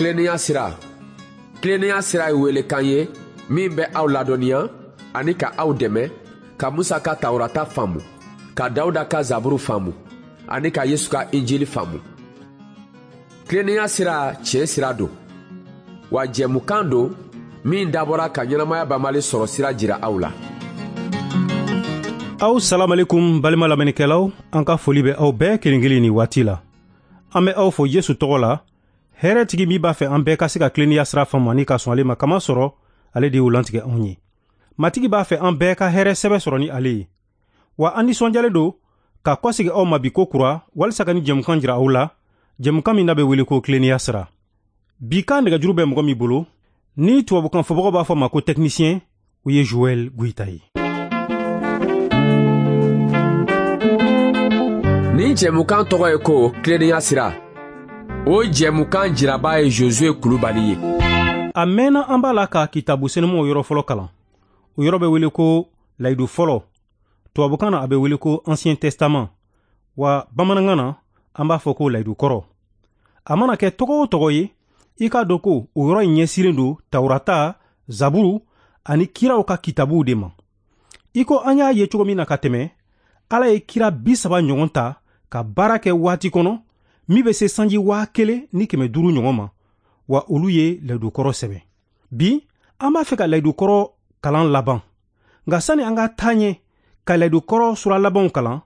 Tilennenya sira. Tilennenya sira ye welekan ye min bɛ aw ladɔnniya ani ka aw dɛmɛ ka Musa ka Tawurata faamu, ka Dawuda ka Zaburu faamu ani ka Yesu ka Injili faamu. Tilennenya sira tiɲɛ sira don, wa jɛmukan don min dabɔra ka ɲɛnamaya banbali sɔrɔ sira jira aw la. Aw salamalekum balima lamɛnnikɛlaw, an ka foli bɛ aw bɛɛ kelen kelen ni waati la. An bɛ aw fo Yesu tɔgɔ la, hɛrɛtigi min b'a fɛ an bɛɛ ka se ka tilennenya sira faamu ani ka sɔn ale ma, kama sɔrɔ ale de y'o lantigɛ anw ye. Matigi b'a fɛ an bɛɛ ka hɛrɛ sɛbɛ sɔrɔ ni ale ye. Wa an nisɔndiyalen don ka kɔsegi aw ma bi ko kura walisa ka ni jɛmukan jira aw la, jɛmukan min n'a bɛ wele ko tilennenya sira. Bi kan nɛgɛjuru bɛ mɔgɔ min bolo, ni tubabukan fɔbagaw b'a fɔ ma ko technicien, o ye Joël Goïta ye. Nin jɛmukan tɔgɔ ye ko tilennenya sira. O jɛmukan jiraba ye Josué Kulubali ye. A mɛnna an b'a la ka kitabu senumaw yɔrɔ fɔlɔ kalan. O yɔrɔ bɛ wele ko layidu fɔlɔ. Tubabukan na a bɛ wele ko Ancien Testament. Wa bamanankan na an b'a fɔ ko layidu kɔrɔ. A mana kɛ tɔgɔ o tɔgɔ ye, i k'a dɔn ko o yɔrɔ in ɲɛsinnen don Tawurata, Zaburu ani kiraw ka kitabuw de ma. I ko an y'a ye cogo min na ka tɛmɛ, Ala ye kira 30 ɲɔgɔn ta ka baara kɛ waati kɔnɔ min bɛ se sanji 1500 ɲɔgɔn ma, wa olu ye layidukɔrɔ sɛbɛn. Bi an b'a fɛ ka layidukɔrɔ kalan laban, nka sani an ka taa ɲɛ ka layidukɔrɔ sura labanw kalan,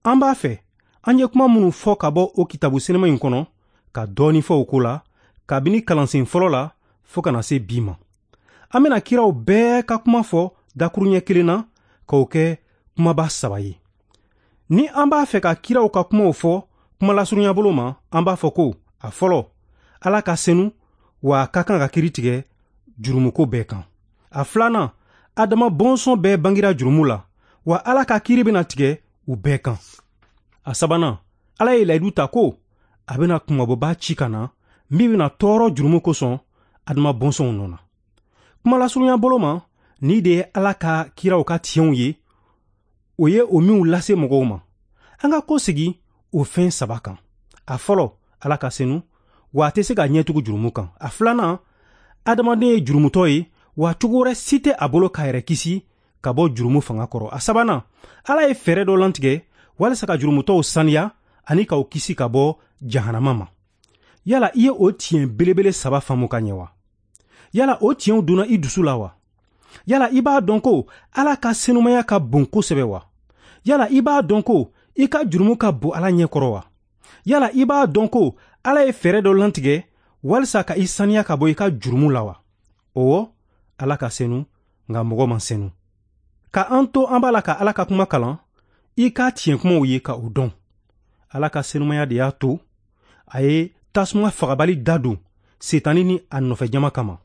an b'a fɛ an ye kuma minnu fɔ ka bɔ o kitabu senuma in kɔnɔ ka dɔɔni fɔ o ko la kabini kalansen fɔlɔ la fo ka na se bi ma. An bɛna kiraw bɛɛ ka kuma fɔ dakuruɲɛ kelen na k'o kɛ kumaba 3 ye. Ni an b'a fɛ ka kiraw ka kumaw fɔ kuma lasurunya bolo ma, an b'a fɔ ko a fɔlɔ, Ala ka senu wa a ka kan ka kiiri tigɛ jurumuko bɛɛ kan. A filanan, Adama bɔnsɔn bɛɛ bangira jurumu la, wa Ala ka kiiri bɛna tigɛ u bɛɛ kan. A sabanan, Ala ye layidu ta ko a bɛna kunmabɔba ci ka na min bɛna tɔɔrɔ jurumu kosɔn Adama bɔnsɔnw nɔ na. Kuma lasurunya bolo ma, ni de ye Ala ka kiraw ka tiɲɛw ye, o ye o minw lase mɔgɔw ma. An ka ko sigi o fɛn 3 kan. A fɔlɔ, Ala ka senu, wa a tɛ se ka ɲɛtugu jurumu kan. A filanan, adamaden ye jurumutɔ ye, wa cogo wɛrɛ si tɛ a bolo k'a yɛrɛ kisi ka bɔ jurumu fanga kɔrɔ. A sabanan, Ala ye fɛɛrɛ dɔ lantigɛ walisa ka jurumutɔw saniya ani k'aw kisi ka bɔ jahanama ma. Yala i ye o tiɲɛ belebele 3 faamu ka ɲɛ wa? Yala o tiɲɛw donna i dusu la wa? Yala i b'a dɔn ko Ala ka senumaya ka bon kosɛbɛ wa? Yala i b'a dɔn ko i ka jurumu ka bon Ala ɲɛ kɔrɔ wa? Yala i b'a dɔn ko Ala ye fɛɛrɛ dɔ lantigɛ walisa ka i saniya ka bɔ i ka jurumu la wa? Ɔwɔ, Ala ka senu, nka mɔgɔ man senu. Ka an to an b'a la ka Ala ka kuma kalan, i ka tiɲɛ kumaw ye ka o dɔn. Ala ka senumaya de y'a to a ye tasuma fagabali da don Setani ni a nɔfɛ jama kama.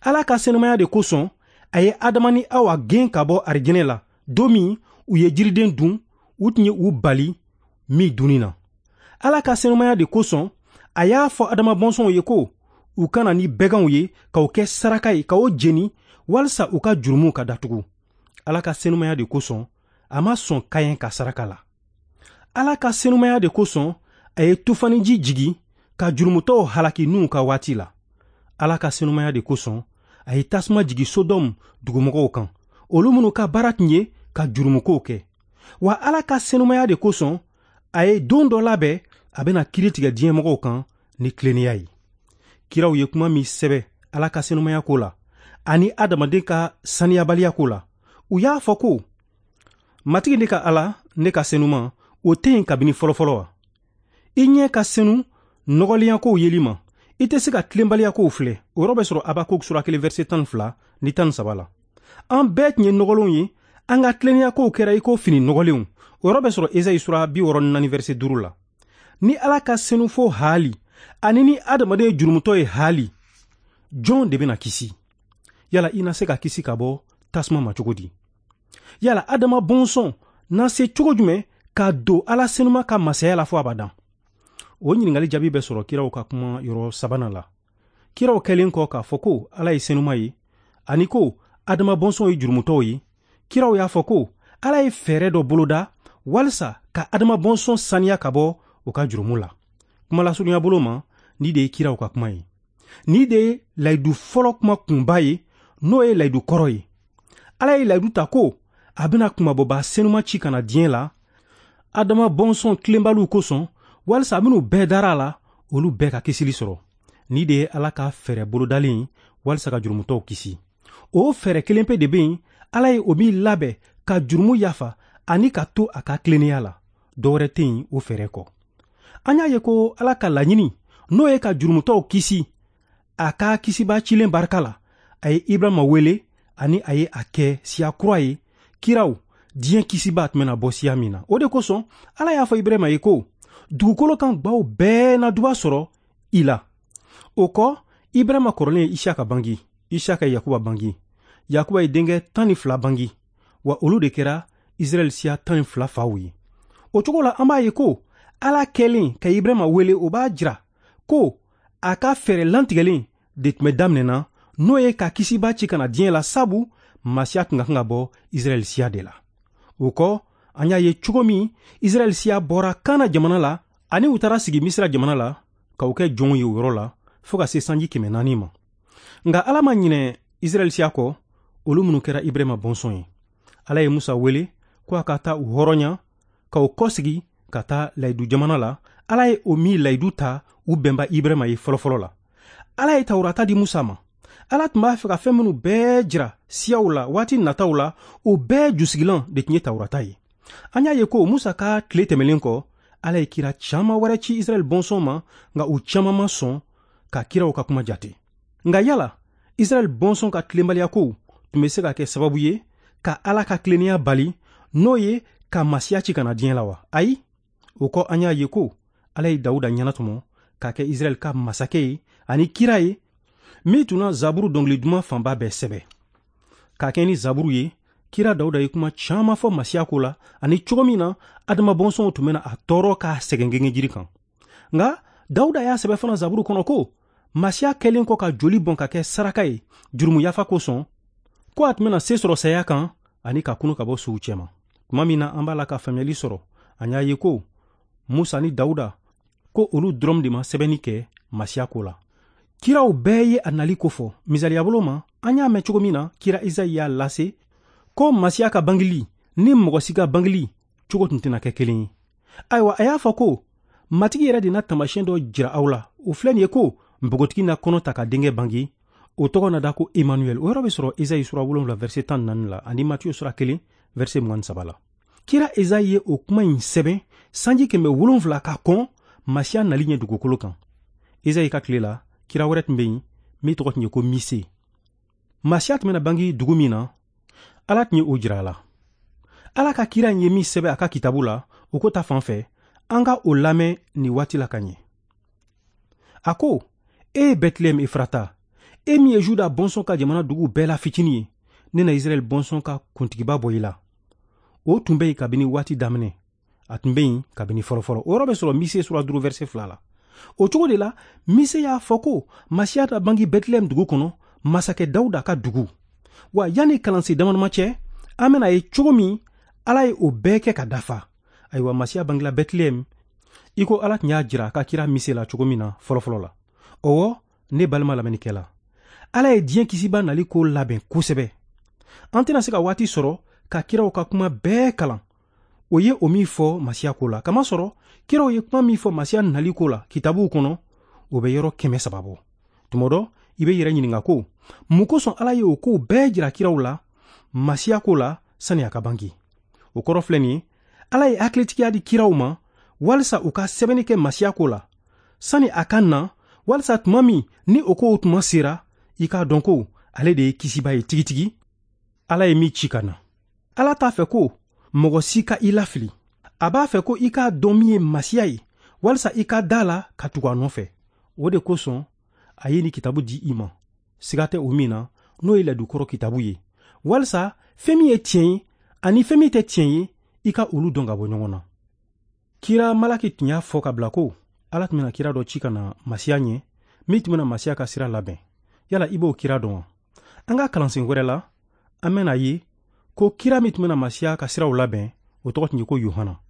Ala ka senumaya de kosɔn a ye Adama ni Awa gɛn ka bɔ arijinɛ la don min u ye jiriden dun, u tun ye u bali min dunni na. Ala ka senumaya de kosɔn a y'a fɔ Adama bɔnsɔnw ye ko u kana ni bɛganw ye k'o kɛ saraka ye k'o jeni walisa u ka jurumuw ka datugu. Ala ka senumaya de kosɔn a ma sɔn Kayɛn ka saraka la. Ala ka senumaya de kosɔn a ye tufaniji jigi ka jurumutɔw halaki Nuhu ka waati la. Ala ka senumaya de kosɔn a ye tasuma jigi Sodɔmu dugumɔgɔw kan, olu minnu ka baara tun ye ka jurumukow kɛ. Wa Ala ka senumaya de kosɔn a ye don dɔ labɛn a bɛna kiiri tigɛ diɲɛmɔgɔw kan ni tilennenya ye. Kiraw ye kuma min sɛbɛ Ala ka senumaya ko la ani adamaden ka saniyabaliya ko la, u y'a fɔ ko Matigi ne ka Ala, ne ka senuma, o tɛ yen kabini fɔlɔfɔlɔ wa? I ɲɛ ka senu nɔgɔlenyakow yeli ma, i tɛ se ka tilenbaliyakow filɛ. O yɔrɔ bɛ sɔrɔ Habakuk sura 1 verset 12 ni 13 la. An bɛɛ tun ye nɔgɔlenw ye, an ka tilennenyakow kɛra i ko fini nɔgɔlenw. O yɔrɔ bɛ sɔrɔ Esayi sura 64 verset 5 la. Ni Ala ka senu fo haali ani ni adamaden ye jurumutɔ ye haali, jɔn de bɛna kisi? Yala i na se ka kisi ka bɔ tasuma ma cogo di? Yala Adama bɔnsɔn na se cogo jumɛn ka don Ala senuma ka masaya la fo abadan? O ɲininkali jaabi bɛ sɔrɔ kiraw ka kuma yɔrɔ 3nan la. Kiraw kɛlen kɔ k'a fɔ ko Ala ye senuma ye ani ko Adama bɔnsɔnw ye jurumutɔw ye, kiraw y'a fɔ ko Ala ye fɛɛrɛ dɔ boloda walisa ka Adama bɔnsɔn saniya ka bɔ u ka jurumu la. Kuma lasurunya bolo ma, ni de ye kiraw ka kuma ye. Nin de ye layidu fɔlɔ kuma kunba ye, n'o ye layidu kɔrɔ ye. Ala ye layidu ta ko a bɛna kunmabɔba senuma ci ka na diɲɛ la Adama bɔnsɔn tilenbaliw kosɔn, walisa minnu bɛɛ dara a la, olu bɛɛ ka kisili sɔrɔ. Nin de ye Ala ka fɛɛrɛ bolodalen ye walisa ka jurumutɔw kisi. O fɛɛrɛ kelen pe de bɛ yen, Ala ye o min labɛn ka jurumu yafa ani ka to a ka tilennenya la. Dɔ wɛrɛ tɛ yen o fɛɛrɛ kɔ. An y'a ye ko Ala ka laɲini, n'o ye ka jurumutɔw kisi a ka kisiba cilen barika la, a ye Ibrahima wele ani a ye a kɛ siya kura ye, kiraw diɲɛ kisiba tun bɛna bɔ siya min na. O de kosɔn Ala y'a fɔ Ibrahima ye ko dugukolo kan gbaw bɛɛ na duba sɔrɔ i la. O kɔ, Ibrahima kɔrɔlen ye Isaka bangi, Isaka ye Yakuba bangi, Yakuba ye denkɛ 12 bangi, wa olu de kɛra Israɛl siya 12 faw ye. O cogo la, an b'a ye ko Ala kɛlen ka Ibrahima wele, o b'a jira ko a ka fɛɛrɛ lantigɛlen de tun bɛ daminɛ na, n'o ye ka kisiba ci ka na diɲɛ la, sabu Masiya tun ka kan ka bɔ Israɛl siya de la. O kɔ, an y'a ye cogo min Israɛl siya bɔra Kana jamana la ani u taara sigi Misira jamana la k'u kɛ jɔnw ye o yɔrɔ la fo ka se sanji 400 ma. Nka Ala ma ɲinɛ Israɛl siya kɔ, olu minnu kɛra Ibrahima bɔnsɔn ye. Ala ye Musa wele ko a ka taa u hɔrɔnya ka u kɔsegi ka taa layidu jamana la. Ala ye o min layidu ta u bɛnba Ibrahima ye fɔlɔfɔlɔ la. Ala ye Tawurata di Musa ma. Ala tun b'a fɛ ka fɛn minnu bɛɛ jira siyaw la waati nataw la, o bɛɛ jusigilan de tun ye Tawurata ye. An y'a ye ko Musa ka tile tɛmɛlen kɔ, Ala ye kira caman wɛrɛ ci Israɛl bɔnsɔn ma, nka u caman ma sɔn ka kiraw ka kuma jate. Nka yala Israɛl bɔnsɔn ka tilenbaliya kow tun bɛ se ka kɛ sababu ye ka Ala ka tilennenya bali, n'o ye ka Masiya ci ka na diɲɛ la wa? Ayi. O kɔ, an y'a ye ko Ala ye Dawuda ɲɛnatɔmɔ k'a kɛ Israɛl ka masakɛ ye ani kira ye, min tun na Zaburu dɔnkili duman fanba bɛɛ sɛbɛ. K'a kɛ ni Zaburu ye, kira Dawuda ye kuma caman fɔ Masiya ko la, ani cogo min na Adama bɔnsɔnw tun bɛna a tɔɔrɔ k'a sɛgɛn gengejiri kan. Nka Dawuda y'a sɛbɛ fana Zaburu kɔnɔ ko Masiya kɛlen kɔ ka joli bɔn ka kɛ saraka ye jurumu yafa kosɔn, ko a tun bɛna se sɔrɔ saya kan ani ka kunu ka bɔ suw cɛma. Tuma min na an b'a la ka faamuyali sɔrɔ, an y'a ye ko Musa ni Dawuda, ko olu dɔrɔn de ma sɛbɛnni kɛ Masiya ko la. Kiraw bɛɛ ye a nali ko fɔ. Misaliya bolo ma, an y'a mɛn cogo min na kira Izayi y'a lase ko Masiya ka bangeli ni mɔgɔ si ka bangeli cogo tun tɛna kɛ kelen ye. Ayiwa, a y'a fɔ ko Matigi yɛrɛ de na taamasiyɛn dɔ jira aw la. O filɛ nin ye ko npogotigi na kɔnɔ ta ka denkɛ bange, o tɔgɔ na da ko Emmanuel. O yɔrɔ bɛ sɔrɔ Ezayi sura 7 verset 14 la ani Matiyu sura 1 verset 23 la. Kira Ezayi ye o kuma in sɛbɛn sanji 700 ka kɔn Masiya nali ɲɛ dugukolo kan. Ezayi ka tile la, kira wɛrɛ tun bɛ yen min tɔgɔ tun ye ko Mise. Masiya tun bɛna bange dugu min na, Ala tun ye o jira a la. Ala ka kira in ye min sɛbɛn a ka kitabu la, o ko ta fan fɛ, an ka o lamɛn nin waati la ka ɲɛ. A ko, e Bɛtilɛhɛm Efrata, e min ye Juda bɔnsɔn ka jamana dugu bɛɛ la fitinin ye, ne na Israɛl bɔnsɔn ka kuntigiba bɔ i la. O tun bɛ yen kabini waati daminɛ, a tun bɛ yen kabini fɔlɔfɔlɔ. O yɔrɔ bɛ sɔrɔ Mise sura 5 verset 2 la. O cogo de la, Mise y'a fɔ ko Masiya ta bange Bɛtilɛhɛm dugu kɔnɔ, masakɛ Dawuda ka dugu. Wa yanni kalansen damadama cɛ, an bɛna ye cogo min Ala ye o bɛɛ kɛ ka dafa. Ayiwa, Masiya bangela Bɛtilɛhɛm i ko Ala tun y'a jira a ka kira Mise la cogo min na fɔlɔfɔlɔ la. Ɔwɔ, ne balima lamɛnnikɛla, Ala ye diɲɛ kisiba nali ko labɛn kosɛbɛ. An tɛna se ka waati sɔrɔ ka kiraw ka kuma bɛɛ kalan. O ye o min fɔ Masiya ko la, kamasɔrɔ kiraw ye kuma min fɔ Masiya nali ko la kitabuw kɔnɔ, o bɛ yɔrɔ 300 bɔ. Tuma dɔ, i bɛ yɛrɛ ɲininka ko mun kosɔn Ala ye o kow bɛɛ jira kiraw la Masiya ko la sani a ka bange. O kɔrɔ filɛ nin ye, Ala ye hakilitigiya di kiraw ma walisa u ka sɛbɛnni kɛ Masiya ko la sani a ka na, walisa tuma min ni o kow tuma sera, i k'a dɔn ko ale de ye kisiba ye tigitigi, Ala ye min ci ka na. Ala t'a fɛ ko mɔgɔ si ka i lafili. A b'a fɛ ko i k'a dɔn min ye Masiya ye, walisa i ka da la ka tugu a nɔfɛ. O de kosɔn a ye nin kitabu di i ma, siga tɛ o min na, n'o ye ladukɔrɔ kitabu ye, walisa fɛn min ye tiɲɛ ye ani fɛn min tɛ tiɲɛ ye, i ka olu dɔn ka bɔ ɲɔgɔn na. Kira Malaki tun y'a fɔ ka bila ko Ala tun bɛna kira dɔ ci ka na Masiya ɲɛ, min tun bɛna Masiya ka sira labɛn. Yala i b'o kira dɔn wa? An ka kalansen wɛrɛ la, an bɛna ye ko kira min tun bɛna Masiya ka siraw labɛn, o tɔgɔ tun ye ko Yohana.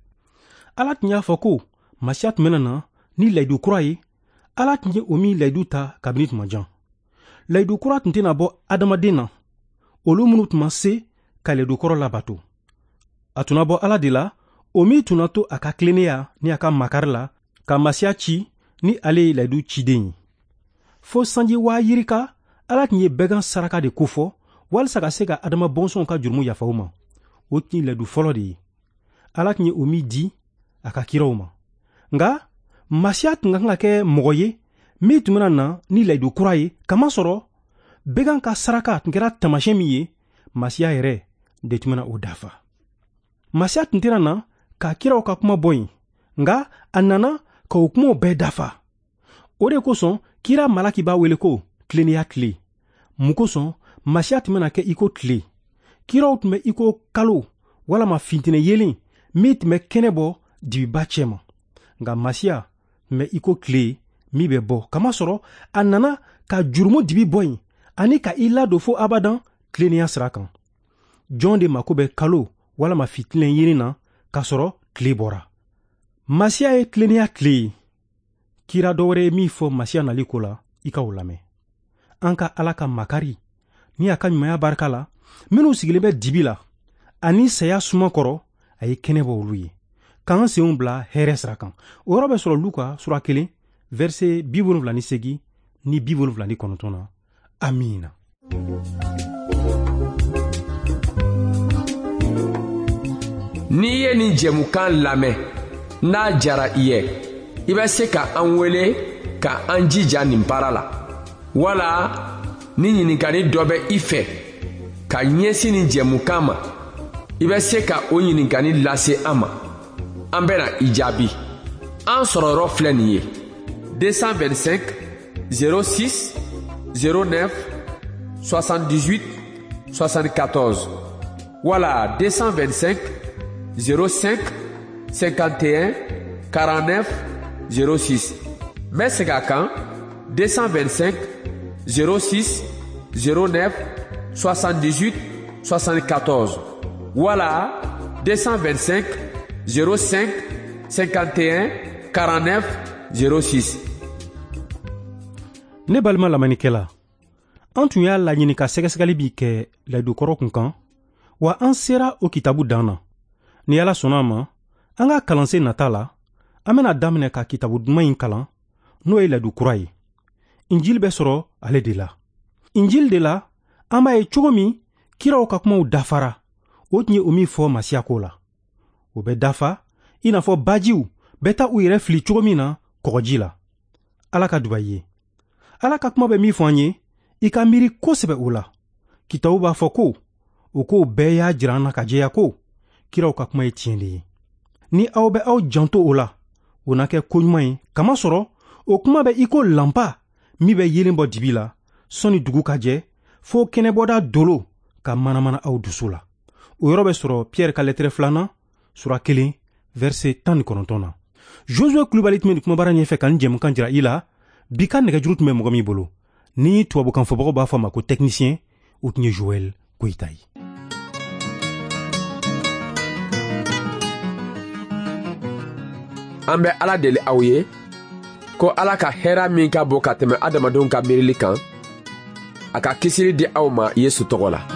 Ala tun y'a fɔ ko Masiya tun bɛna na ni layidu kura ye Ala tun ye o min layidu ta kabini tuma jan. Layidu kura tun tɛna bɔ adamaden na, olu minnu tun ma se ka layidu kɔrɔ labato. A tun na bɔ Ala de la, o min tun na to a ka tilennenya ni a ka makari la ka Masiya ci ni ale ye layidu ciden ye. Fo sanji 2000, Ala tun ye bɛgan saraka de kofɔ walisa ka se ka adama bɔnsɔnw ka jurumu yafa u ma. O tun ye layidu fɔlɔ de ye, Ala tun ye o min di a ka kiraw ma. Nka Masiya tun ka kan ka kɛ mɔgɔ ye min tun bɛna na ni layidu kura ye, kamasɔrɔ bɛgan ka saraka tun kɛra taamasiyɛn min ye, Masiya yɛrɛ de tun bɛna o dafa. Masiya tun tɛna na ka kiraw ka kuma bɔ yen, nka a nana ka o kumaw bɛɛ dafa. O de kosɔn kira Malaki b'a wele ko tilennenya tile. Mun kosɔn Masiya tun bɛna kɛ i ko tile? Kiraw tun bɛ i ko kalo walama fintinɛ yelen min tun bɛ kɛnɛ bɔ dibiba cɛma. Nka Masiya tun bɛ i ko tile min bɛ bɔ, kamasɔrɔ a nana ka jurumu dibi bɔ yen ani ka i ladon fo abadan tilennenya sira kan. Jɔn de mako bɛ kalo walama fitinɛ yelen na k'a sɔrɔ tile bɔra? Masiya ye tilennenya tile ye. Kira dɔ wɛrɛ ye min fɔ Masiya nali ko la, i ka o lamɛn. An ka Ala ka makari ni a ka ɲumanya barika la, minnu sigilen bɛ dibi la ani saya suma kɔrɔ, a ye kɛnɛ bɔ olu ye, k'an senw bila hɛrɛ sira kan. O yɔrɔ bɛ sɔrɔ Luka sura 1, verset 78 ni 79 na. Amiina. N'i ye nin jɛmukan lamɛn, n'a jara i ye, i bɛ se ka an wele ka an jija nin baara la, wala ni ɲininkali dɔ bɛ i fɛ ka ɲɛsin nin jɛmukan ma, i bɛ se ka o ɲininkali lase an ma. An bɛna i jaabi. An sɔrɔ yɔrɔ filɛ nin ye: 225 06 09 78 74 wala 225 05 51 49 06. N bɛ segin a kan: 225 06 09 78 74 wala 225 05 51 49 06. Ne balima lamɛnnikɛla, an tun y'a laɲini ka sɛgɛsɛgɛli bi kɛ layidukɔrɔ kun kan, wa an sera o kitabu dan na. Ni Ala sɔnna a ma, an ka kalansen nata la, an bɛna daminɛ ka kitabu duman in kalan, n'o ye layidu kura ye. Injili bɛ sɔrɔ ale de la. Injili de la, an b'a ye cogo min kiraw ka kumaw dafara, o tun ye o min fɔ Masiya ko la. O bɛ dafa i n'a fɔ bajiw bɛ taa u yɛrɛ fili cogo min na kɔgɔji la. Ala ka duba i ye. Ala ka kuma bɛ min fɔ an ye, i ka miiri kosɛbɛ o la. Kitabu b'a fɔ ko o kow bɛɛ y'a jira an na ka jɛya ko kiraw ka kuma ye tiɲɛ de ye. Ni aw bɛ aw janto o la, o na kɛ koɲuman ye, kamasɔrɔ o kuma bɛ i ko lanpa min bɛ yeelen bɔ dibi la sɔnni dugu ka jɛ, fo kɛnɛbɔda dolo ka manamana aw dusu la. O yɔrɔ bɛ sɔrɔ Pierre ka lɛtɛrɛ 2nan, sura 1, verset 19 na. Josue Kulubali tun bɛ nin kumabara ɲɛfɛ ka nin jɛmukan jira i la. Bi ka nɛgɛjuru tun bɛ mɔgɔ min bolo, ni tubabukan fɔbagaw b'a fɔ a ma ko technicien, o tun ye Joël Koyita ye. An bɛ Ala deli aw ye ko Ala ka hɛrɛ min ka bon ka tɛmɛ adamadenw ka miirili kan, a ka kisili di aw ma Yesu tɔgɔ la.